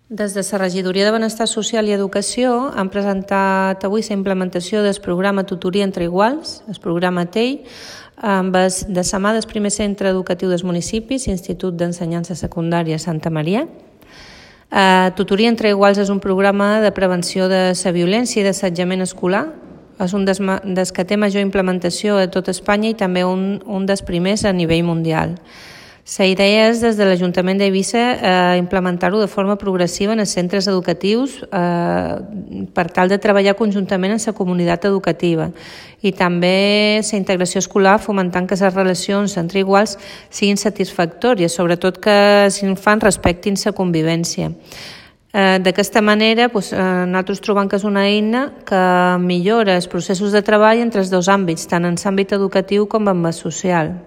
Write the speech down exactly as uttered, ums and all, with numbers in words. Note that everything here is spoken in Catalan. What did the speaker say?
Des de la Regidoria de Benestar Social i Educació han presentat avui la implementació del programa Tutoria entre Iguals, el programa T E I, amb el de la mà del primer centre educatiu dels municipis, Institut d'Ensenyança Secundària Santa Maria. Uh, Tutoria entre Iguals és un programa de prevenció de la violència i d'assetjament escolar. És un dels, des que té major implementació a tot Espanya i també un, un dels primers a nivell mundial. La idea és, des de l'Ajuntament d'Eivissa, eh, implementar-ho de forma progressiva en els centres educatius eh, per tal de treballar conjuntament amb la comunitat educativa i també la integració escolar, fomentant que les relacions entre iguals siguin satisfactòries, sobretot que els infants respectin la convivència. Eh, D'aquesta manera, doncs, eh, nosaltres trobem que és una eina que millora els processos de treball entre els dos àmbits, tant en l'àmbit educatiu com en el social.